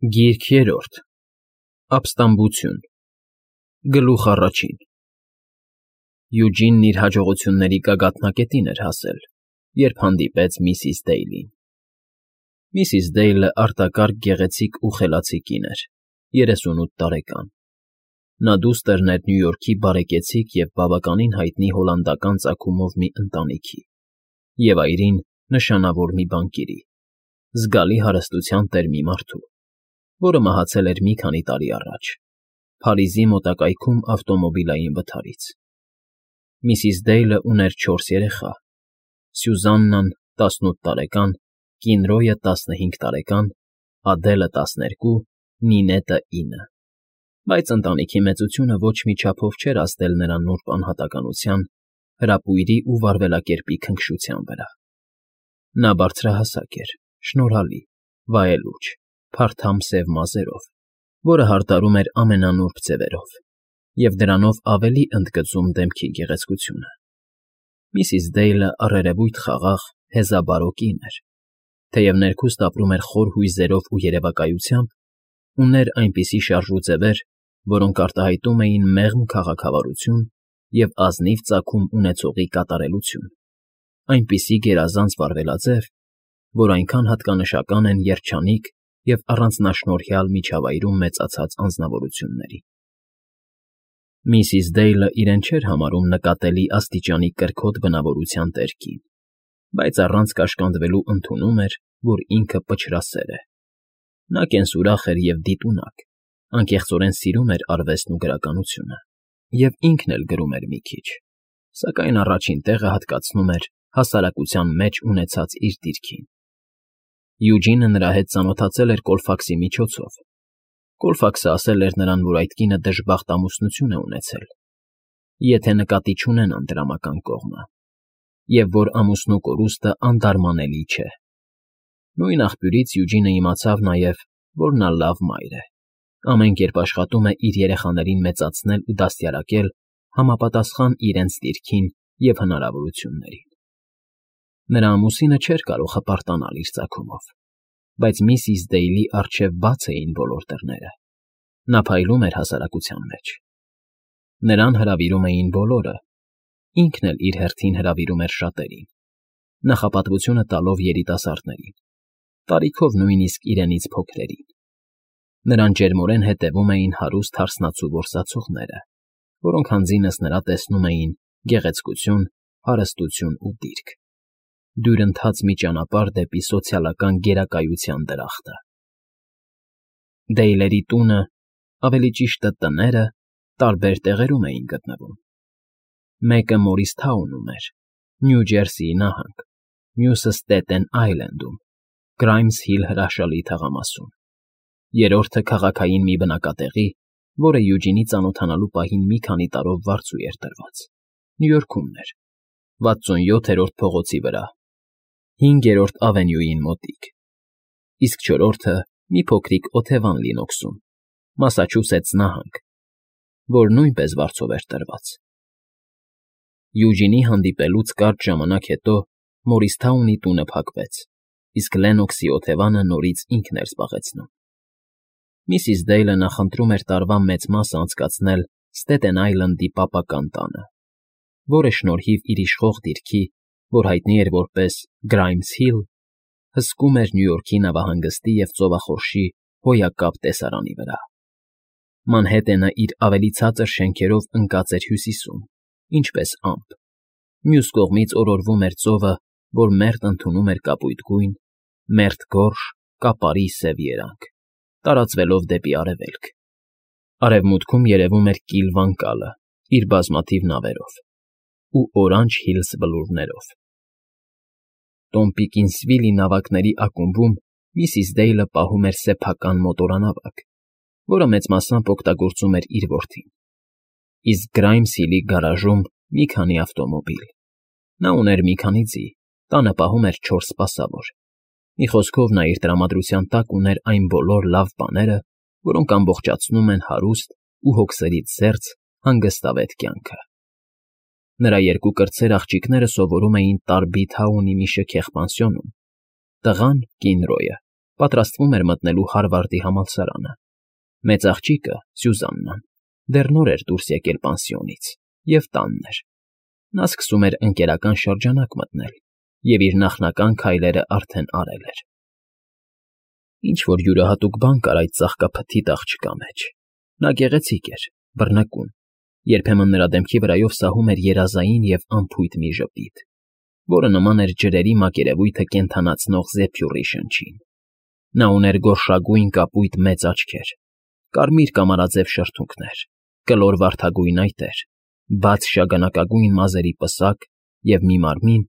Գիրք երրորդ Ապստամբություն Գլուխ առաջին Յուջինն իր հաջողությունների գագաթնակետին էր հասել, երբ հանդիպեց միսիս Դեյլին։ Միսիս Դեյլը արտակարգ գեղեցիկ ու խելացի կին էր, 38 տարեկան։ Նա դուստր էր Նյու Յորքի բարեկեցիկ և բավականին հայտնի հոլանդական ծագումով մի ընտանիքի և այրին նշանավոր մի բանկիրի, զգալի հարստության տեր մի մարդու, որը մահացել էր մի քանի տարի առաջ, Փարիզի մոտակայքում ավտոմոբիլային վթարից։ Միսիս Դեյլը ուներ 4 երեխա. Սյուզաննան 18 տարեկան, Կինրոյը 15 տարեկան, Ադելը 12, Նինետը 9։ Բայց ընտանիքի մեծությունը ոչ մի չափով չէր ազդել նրա նուրբ անհատականության, հրապույրի ու վարվելակերպի քնքշության վրա։ Նա բարձրահասակ էր, շնորհալի, վայելուչ, փարթամ սև մազերով, որը հարդարում էր ամենանուրբ ձևերով, և դրանով ավելի ընդգծում դեմքի գեղեցկությունը։ Միսիս Դեյլը առերևույթ խաղաղ, հեզաբարո կին էր, թեև ներքուստ ապրում էր խոր հույզերով ու երևակայությամբ, ուներ այնպիսի շարժուձևեր, որոնք արտահայտում էին մեղմ քաղաքավարություն և ազնիվ ծագում ունեցողի կատարելություն, այնպիսի գերազանց վարվելաձև, որ այնքան հատկանշական են երջանիկ և առանձնաշնորհյալ միջավայրում մեծացած անձնավորությունների։ Միսիս Դեյլը իրեն չէր համարում նկատելի աստիճանի կրքոտ բնավորության տեր կին, բայց առանց կաշկանդվելու ընդունում էր, որ ինքը պչրասեր է։ Նա կենսուրախ էր և դիտունակ, անկեղծորեն սիրում էր արվեստն ու գրականությունը, և ինքն էլ գրում էր մի քիչ, սակայն առաջին տեղը հատկացնում էր հասարակության մեջ ունեցած իր դիրքին։ Յուջինը նրա հետ ծանոթացել էր Կոլֆաքսի միջոցով։ Կոլֆաքսը ասել էր նրան, որ այդ կինը դժբախտ ամուսնություն է ունեցել, եթե նկատի չունենան դրամական կողմը, և որ ամուսնու կորուստը անդարմանելի չէ։ Նույն աղբյուրից Յուջինը իմացավ նաև, որ նա լավ մայր է, ամեն կերպ աշխատում է իր երեխաներին մեծացնել ու դաստիարակել համապատասխան իրենց դիրքին և հնարավորություններին։ Նրա ամուսինը չէր կարող հպարտանալ իր ծագումով, բայց միսիս Դեյլի առջև բաց էին բոլոր դռները։ Նա փայլում էր հասարակության մեջ։ Նրան հրավիրում էին բոլորը, ինքն էլ իր հերթին հրավիրում էր շատերին, նախապատվությունը տալով երիտասարդներին, տարիքով նույնիսկ իրենից փոքրերին։ Նրան ջերմորեն հետևում էին հարուստ հարսնացու որսացողները, որոնք հանձինս նրա տեսնում էին գեղեցկություն, հարստություն ու դիրք, դյուրընթաց մի ճանապարհ դեպի սոցիալական գերակայության դրախտը։ Դեյլերի տունը, ավելի ճիշտը տները, տարբեր տեղերում էին գտնվում։ Մեկը Մորիսթաունում էր, Նյու Ջերսիի նահանգ, մյուսը Ստեթեն Այլենդում, Գրայմս Հիլ հրաշալի թաղամասում, երրորդը քաղաքային մի բնակատեղի, որը Յուջինի ծանոթանալու պահին մի քանի տարով վարձու էր տրված, Նյու Յորքումն էր, 67-րդ փողոցի վրա, 5-րդ ավենյուին մոտիկ, իսկ չորրորդը մի փոքրիկ օթևան Լինոքսում, Մասաչուսեթս նահանգ, որ նույնպես վարձով էր տրված։ Յուջինի հանդիպելուց կարճ ժամանակ հետո Մորիսթաունի տունը փակվեց, իսկ Լենոքսի օթևանը նորից ինքն էր զբաղեցնում։ Միսիս Դեյլը նախընտրում էր տարվա մեծ մասը անցկացնել Ստեթեն Այլնդի պապական տանը, որը շնորհիվ իր իշխող դիրքի, որ հայտնի էր որպես Գրայմս Հիլ, հսկում էր Նյու Յորքի նավահանգստի և ծովախորշի հոյակապ տեսարանի վրա։ Մանհեթենը իր ավելի ցածր շենքերով ընկած էր հյուսիսում, ինչպես ամպ, մյուս կողմից օրորվում էր ծովը, որ մերթ ընդունում էր կապույտ գույն, մերթ գորշ, կապարի սև երանգ, տարածվելով դեպի արևելք։ Արևմուտքում երևում էր կիլ վանկալը իր բազմաթիվ նավերով ու Օրանջ Հիլս բլուրներով։ Տոմպիկինսվիլի նավակների ակումբում միսիս Դեյլը պահում էր սեփական մոտորանավակ, որը մեծ մասամբ օգտագործում էր իր որդին, իսկ Գրայմս Հիլի գարաժում մի քանի ավտոմոբիլ։ Նա ուներ մի քանի ձի, տանը պահում էր 4 սպասավոր։ Մի խոսքով նա իր տրամադրության տակ ուներ այն բոլոր լավ բաները, որոնք ամբողջացնում են հարուստ ու հոգսերից զերծ հանգստավետ կյանքը։ Նրա երկու կրտսեր աղջիկները սովորում էին Տարբիթ Հաունի մի շքեղ պանսիոնում, տղան՝ Կինրոյը, պատրաստվում էր մտնելու Հարվարդի համալսարանը։ Մեծ աղջիկը՝ Սյուզաննան, դեռ նոր էր դուրս եկել պանսիոնից և տանն էր։ Նա սկսում էր ընկերական շրջանակ մտնել և իր նախնական քայլերը արդեն արել էր։ Ինչ-որ յուրահատուկ բան կար այդ ծաղկափթիթ աղջկա մեջ։ Նա գեղեցիկ էր, բռնկուն, երբեմն նրա դեմքի վրայով սահում էր երազային և անփույթ մի ժպիտ, որը նման էր ջրերի մակերևույթը կենդանացնող զեփյուռի շնչին։ Նա ուներ գորշագույն կապույտ մեծ աչքեր, կարմիր կամարաձև շրթունքներ, կլոր վարդագույն այտեր, բաց շագանակագույն մազերի պսակ և մի մարմին,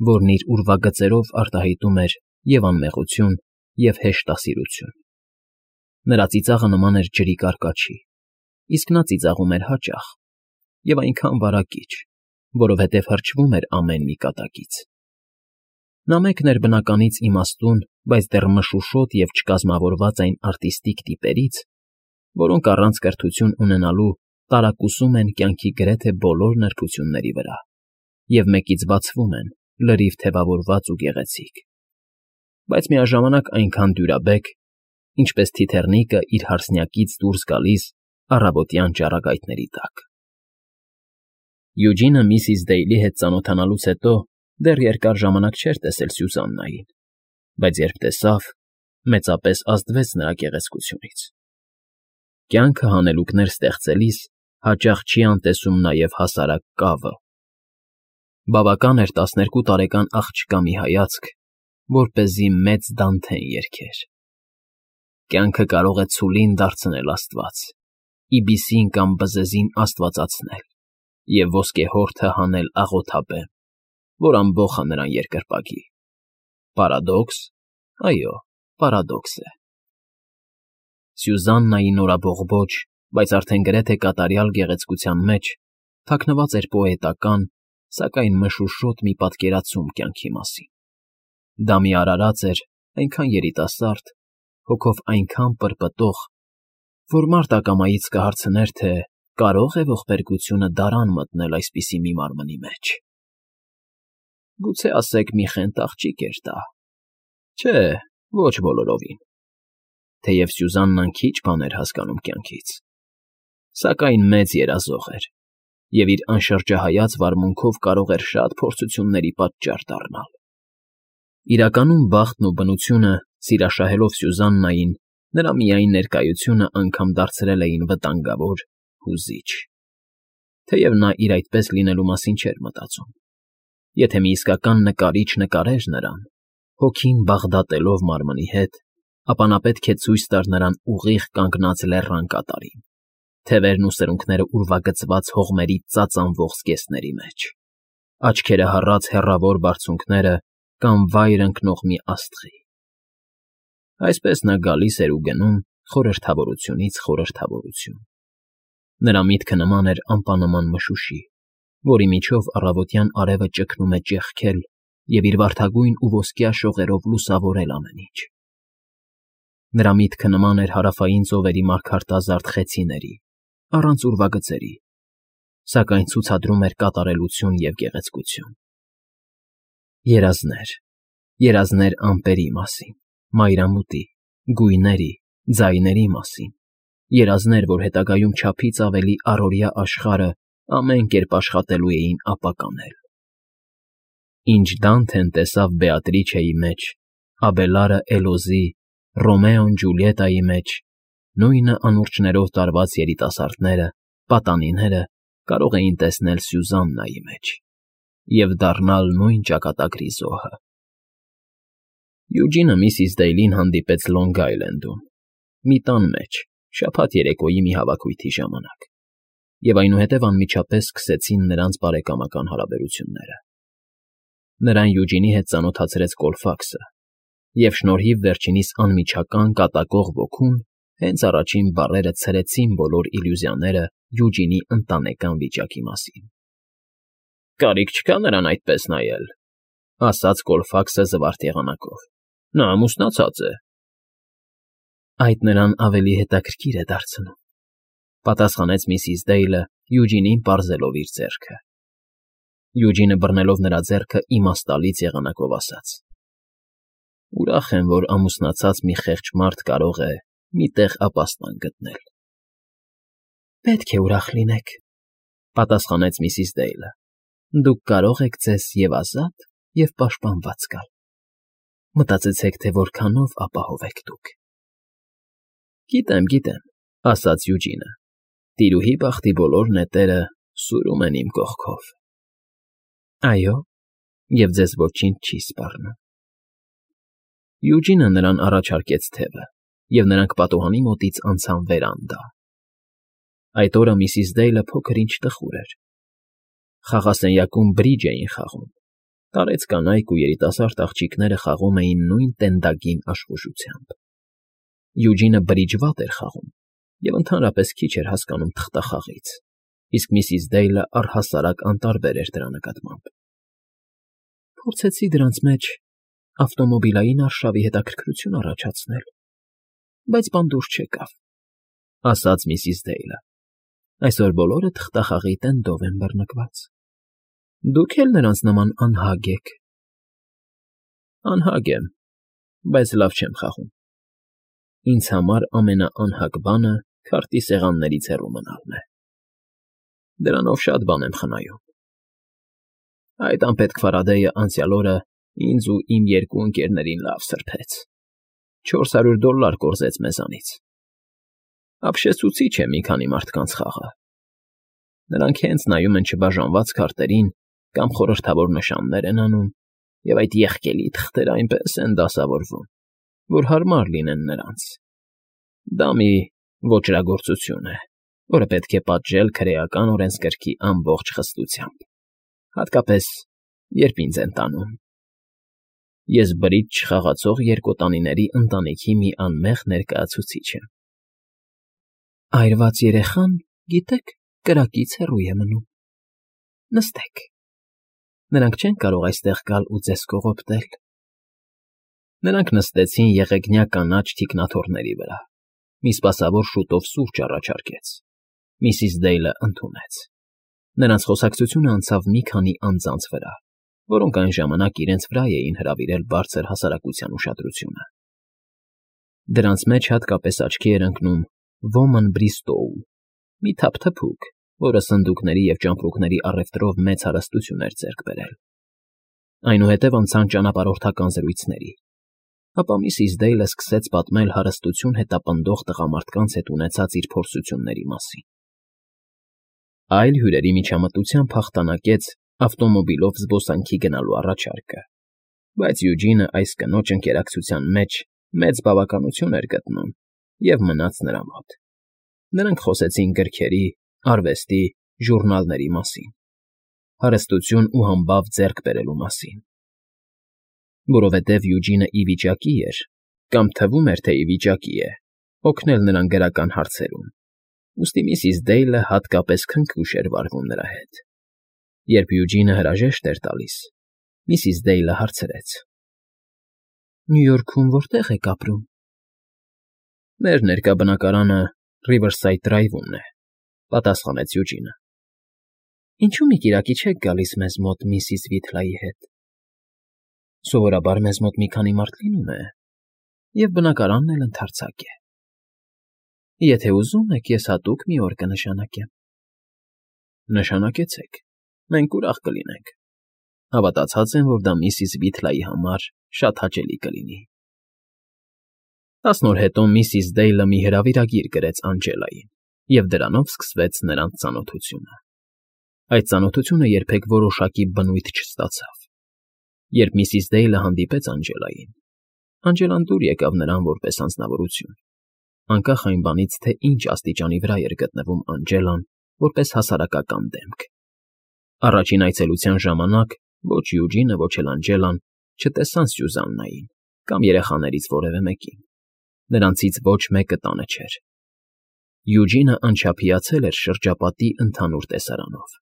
որն իր ուրվագծերով արտահայտում էր և անմեղություն, և հեշտասիրություն։ Նրա ծիծաղը նման էր ջրի կարկաչի, իսկ նա ծիծաղում էր հաճախ և այնքան վարակիչ, որովհետև հրճվում էր ամեն մի կատակից։ Նա մեկն էր բնականից իմաստուն, բայց դեռ մշուշոտ և չկազմավորված այն արտիստիկ տիպերից, որոնք առանց կրթություն ունենալու տարակուսում են կյանքի գրեթե բոլոր նրբությունների վրա և մեկից բացվում են, լրիվ թևավորված ու գեղեցիկ, բայց միաժամանակ այնքան դյուրաբեկ, ինչպես թիթեռնիկը իր հարսնյակից դուրս գալիս առավոտյան ճառագայթների տակ։ Յուջինը միսիս Դեյլի հետ ծանոթանալուց հետո դեռ երկար ժամանակ չէր տեսել Սյուզաննային, բայց երբ տեսավ, մեծապես ազդվեց նրա գեղեցկությունից։ Կյանքը հանելուկներ ստեղծելիս հաճախ չի անտեսում նաև հասարակ կավը։ Բավական էր 12 տարեկան աղջկա մի հայացք, որպեսզի մեծ Դանթեն երգեր. Կյանքը կարող է ցուլին դարձնել աստված, իբիսին կամ բզեզին աստվածացնել և ոսկեհորթը հանել աղոթաբեմ, որ ամբոխ է նրան երկրպագի։ Պարադոքս, այո, պարադոքս է։ Սյուզաննայի նորաբողբոջ, բայց արդեն գրեթե կատարյալ գեղեցկության մեջ թաքնված էր պոետական, սակայն մշուշոտ մի պատկերացում կյանքի մասին։ Դա մի արարած էր, այնքան երիտասարդ, հոգով այնքան պրպտող, որ մարդ ակամայից կհարցներ, թե կարո՞ղ է ողբերգությունը դարան մտնել այսպիսի մի մարմնի մեջ։ Գուցե ասեք մի խենթ աղջիկ էր դա։ Չէ, ոչ բոլորովին։ Թեև Սյուզաննան քիչ բան էր հասկանում կյանքից, սակայն մեծ երազող էր և իր անշրջահայաց վարմունքով կարող էր շատ փորձությունների պատճառ դառնալ։ Իրականում բախտն ու բնությունը, սիրաշահելով Սյուզաննային, նրա միայն ներկայությունը անգամ դարձրել էին վտանգավոր, հուզիչ, թեև նա իր այդպես լինելու մասին չէր մտածում։ Եթե մի իսկական նկարիչ նկարեր նրան, հոգին բաղդատելով մարմնի հետ, ապա նա պետք է ցույց տար նրան ուղիղ կանգնած լեռան կատարին, թևերն ու սրունքները ուրվագծված հողմերի ծածանվող զգեստների մեջ, աչքերը հառած հեռավոր բարձունքները կամ վայր ընկնող մի աստղի։ Այսպես նա գալիս էր ու գնում խորհրդավորությունից խորհրդավորություն։ Նրա միտքը նման էր ամպանման մշուշի, որի միջով առավոտյան արևը ճգնում է ճեղքել և իր վարդագույն ու ոսկյա շողերով լուսավորել ամեն ինչ։ Նրա միտքը նման էր հարավային ծովերի մարգարտազարդ խեցիների, առանց ուրվագծերի, սակայն ցուցադրում էր կատարելություն և գեղեցկություն։ Երազներ ամպերի մասին, մայրամուտի, գույների, ձայների մասին, երազներ, որ հետագայում չափից ավելի առօրյա աշխարհը ամեն կերպ աշխատելու էին ապականել։ Ինչ Դանթեն տեսավ Բեատրիչեի մեջ, Աբելարը Էլոզի, Ռոմեոն Ջուլիետայի մեջ, նույնը անուրջներով տարված երիտասարդները, պատանիները կարող էին տեսնել Սյուզաննայի մեջ և դառնալ նույն ճակատագրի զոհը։ Յուջինը միսիս Դեյլին հանդիպեց Լոնգ Այլենդում, մի տան մեջ, շաբաթ երեկոյի մի հավաքույթի ժամանակ, և այնուհետև անմիջապես սկսեցին նրանց բարեկամական հարաբերությունները։ Նրան Յուջինի հետ ծանոթացրեց Կոլֆաքսը, և շնորհիվ վերջինիս անմիջական կատակող ոգուն հենց առաջին բառերը ցրեցին բոլոր իլյուզիաները Յուջինի ընտանեկան վիճակի մասին։ «Կարիք չկա նրան այդպես նայել,֊ ասաց Կոլֆաքսը զվարթ եղանակով,֊ նա ամուսնացած է»։ Այդ նրան ավելի հետաքրքիր է դարձնում,֊ պատասխանեց միսիս Դեյլը Յուջինին պարզելով իր ձեռքը։ Յուջինը բռնելով նրա ձեռքը իմաստալից եղանակով ասաց. Ուրախ եմ, որ ամուսնացած մի խեղճ մարդ կարող է մի տեղ ապաստան գտնել։ ֊ Պետք է ուրախ լինեք,֊ պատասխանեց միսիս Դեյլը։ Դուք կարող եք ձեզ և ազատ, և պաշտպանված զգալ։ Մտածեցեք, թե որքանով ապահով եք դուք։ ֊ Գիտեմ,֊ ասաց Յուջինը։ Տիրուհի բախտի բոլոր նետերը սուրում են իմ կողքով։ ֊ Այո, և ձեզ ոչինչ չի սպառնում։ Յուջինը նրան առաջարկեց թևը, և նրանք պատուհանի մոտից անցան վերանդա։ Այդ օրը միսիս Դեյլը փոքր-ինչ տխուր էր։ Խաղասենյակում բրիջ էին խաղում, տարեց կանայք ու երիտասարդ աղջիկները խաղում էին նույն տենդագին աշխուժությամբ։ Յուջինը բրիջ վատ էր խաղում և ընդհանրապես քիչ էր հասկանում թղթախաղից, իսկ միսիս Դեյլը առհասարակ անտարբեր էր դրա նկատմամբ։ Փորձեցի դրանց մեջ ավտոմոբիլային արշավի հետաքրքրություն առաջացնել, բայց բան դուրս չեկավ,֊ ասաց միսիս Դեյլը։ Այսօր բոլորը թղթախաղի տենդով են բռնկված։ Դուք էլ նրանց նման անհագ եք։ ֊ Անհագ եմ, բայց լավ չեմ խաղում։ Ինձ համար ամենաանհագ բանը քարտի սեղաններից հեռու մնալն է։ Դրանով շատ բան եմ խնայում։ Այդ անպետք Ֆարադեյը անցյալ օրը ինձ ու իմ երկու ընկերներին լավ սրբեց։ $400 կորզեց մեզանից։ Ապշեցուցիչ է մի քանի մարդկանց խաղը։ Նրանք հենց նայում են չբաժանված քարտերին կամ խորհրդավոր նշաններ են անում, և այդ եղկելի թղթերը այնպես են դասավորվում, որ հարմար լինեն նրանց։ Դա մի ոճրագործություն է, որը պետք է պատժել քրեական օրենսգրքի ամբողջ խստությամբ, հատկապես, երբ ինձ են տանում։ Ես բրիջ չխաղացող երկոտանիների ընտանիքի մի անմեղ ներկայացուցիչ եմ։ Այրված երեխան, գիտեք, կրակից հեռու է մնում։ Նստեք։ Նրանք չեն կարող այստեղ գալ ու ձեզ կողոպտել։ Նրանք նստեցին եղեգնյա կանաչ թիկնաթոռների վրա։ Մի սպասավոր շուտով սուրճ առաջարկեց։ Միսիս Դեյլը ընդունեց։ Նրանց խոսակցությունը անցավ մի քանի անձանց վրա, որոնք այն ժամանակ իրենց վրա էին հրավիրել բարձր հասարակության ուշադրությունը։ Դրանց մեջ հատկապես աչքի էր ընկնում Ոման Բրիստոու, մի թափթփուկ, որը սնդուկների և ճամպրուկների առևտրով մեծ հարստություն էր ձեռք բերել։ Այնուհետև անցան ճանապարհորդական զրույցների, ապա միսիս Դեյլը սկսեց պատմել հարստություն հետապնդող տղամարդկանց հետ ունեցած իր փորձությունների մասին։ Այլ հյուրերի միջամտությամբ հաղթանակեց ավտոմոբիլով զբոսանքի գնալու առաջարկը, բայց Յուջինը այս կնոջ ընկերակցության մեջ մեծ բավականություն էր գտնում և մնաց նրա մոտ։ Նրանք խոսեցին գրքերի, արվեստի, ժուռնալների մասին, հարստություն ու համբավ ձեռք բերելու մասին։ Որովհետև Յուջինը ի վիճակի էր, կամ թվում էր, թե ի վիճակի է, օգնել նրան գրական հարցերում, ուստի միսիս Դեյլը հատկապես քնքուշ էր վարվում նրա հետ։ Երբ Յուջինը հրաժեշտ էր տալիս, միսիս Դեյլը հարցրեց. Նյու Յորքում որտե՞ղ եք ապրում։ Մեր ներկա բնակարանը Riverside Drive-ում է, պատասխանեց Յուջինը։ Ինչու մի կիրակի չեք գալիս մեզ մոտ միսիս Վիթլայի հետ։ Սովորաբար մեզ մոտ մի քանի մարդ լինում է, և բնակարանն էլ ընդարձակ է։ Եթե ուզում եք, ես հատուկ մի օր կնշանակեմ։ Նշանակեցեք, մենք ուրախ կլինենք։ Հավատացած եմ, որ դա միսիս Վիթլայի համար շատ հաճելի կլինի։ 10 օր հետո միսիս Դեյլը մի հրավիրագիր գրեց Անջելային, և դրանով սկսվեց նրանց ծանոթությունը։ Այդ ծանոթությունը երբեք որոշակի բնույթ չստացավ։ Երբ միսիս Դեյլը հանդիպեց Անջելային, Անջելան դուր եկավ նրան որպես անձնավորություն, անկախ այն բանից, թե ինչ աստիճանի վրա էր գտնվում Անջելան որպես հասարակական դեմք։ Առաջին այցելության ժամանակ ոչ Յուջինը, ոչ էլ Անջելան չտեսան Սյուզաննային կամ երեխաներից որևէ մեկին։ Նրանցից ոչ մեկը տանը չէր։ Յուջինը անչափիացել էր շրջապատի ընդհանուր տեսարանով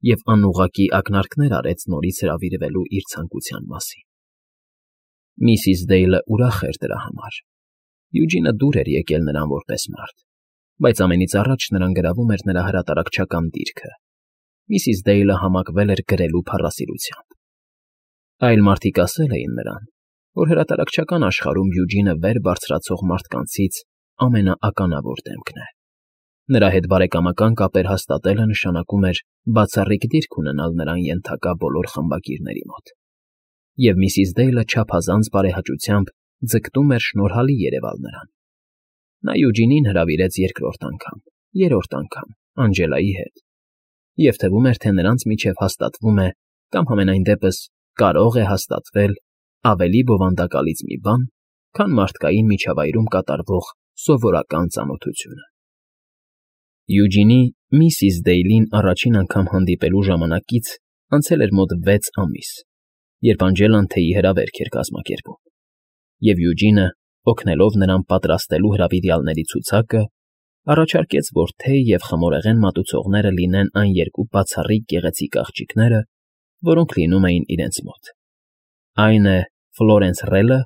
և անուղղակի ակնարկներ արեց նորից հրավիրվելու իր ցանկության մասին։ Միսիս Դեյլը ուրախ էր դրա համար։ Յուջինը դուր էր եկել նրան որպես մարդ, բայց ամենից առաջ նրան գրավում էր նրա հրատարակչական դիրքը։ Միսիս Դեյլը համակվել էր գրելու փառասիրությամբ։ Այլ մարդիկ ասել էին նրան, որ հրատարակչական աշխարհում Յուջինը վեր բարձրացող մարդկանցից ամենաականավոր դեմքն է։ Նրա հետ բարեկամական կապեր հաստատելը նշանակում էր բացառիկ դիրք ունենալ նրան ենթակա բոլոր խմբագիրների մոտ։ Եվ միսիս Դեյլը չափազանց բարեհաճությամբ ձգտում էր շնորհալի երևալ նրան։ Նա Յուջինին հրավիրեց երկրորդ անգամ, երրորդ անգամ Անջելայի հետ, և թվում էր, թե նրանց միջև հաստատվում է կամ համենայն դեպս կարող է հաստատվել ավելի բովանդակալից մի բան, քան մարդկային միջավայրում կատարվող սովորական ծանոթությունը։ Յուջինի միսիս Դեյլին առաջին անգամ հանդիպելու ժամանակից անցել էր մոտ 6 ամիս, երբ Անջելան թեյի հրավերք էր կազմակերպում, և Յուջինը, օգնելով նրան պատրաստելու հրավիրյալների ցուցակը, առաջարկեց, որ թեյ և խմորեղեն մատուցողները լինեն այն երկու բացառիկ գեղեցիկ աղջիկները, որոնք լինում էին իրենց մոտ. այն է Ֆլորենս Ռելը,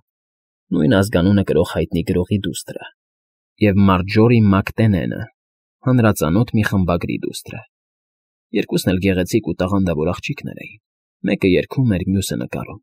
նույն ազգանունը կրող հայտնի գրողի դուստրը, և Մարջորի Մակտենենը, հանրածանոթ մի խմբագրի դուստրը։ Երկուսն էլ գեղեցիկ ու տաղանդավոր աղջիկներ էին, մեկը երգում էր, մյուսը նկարում։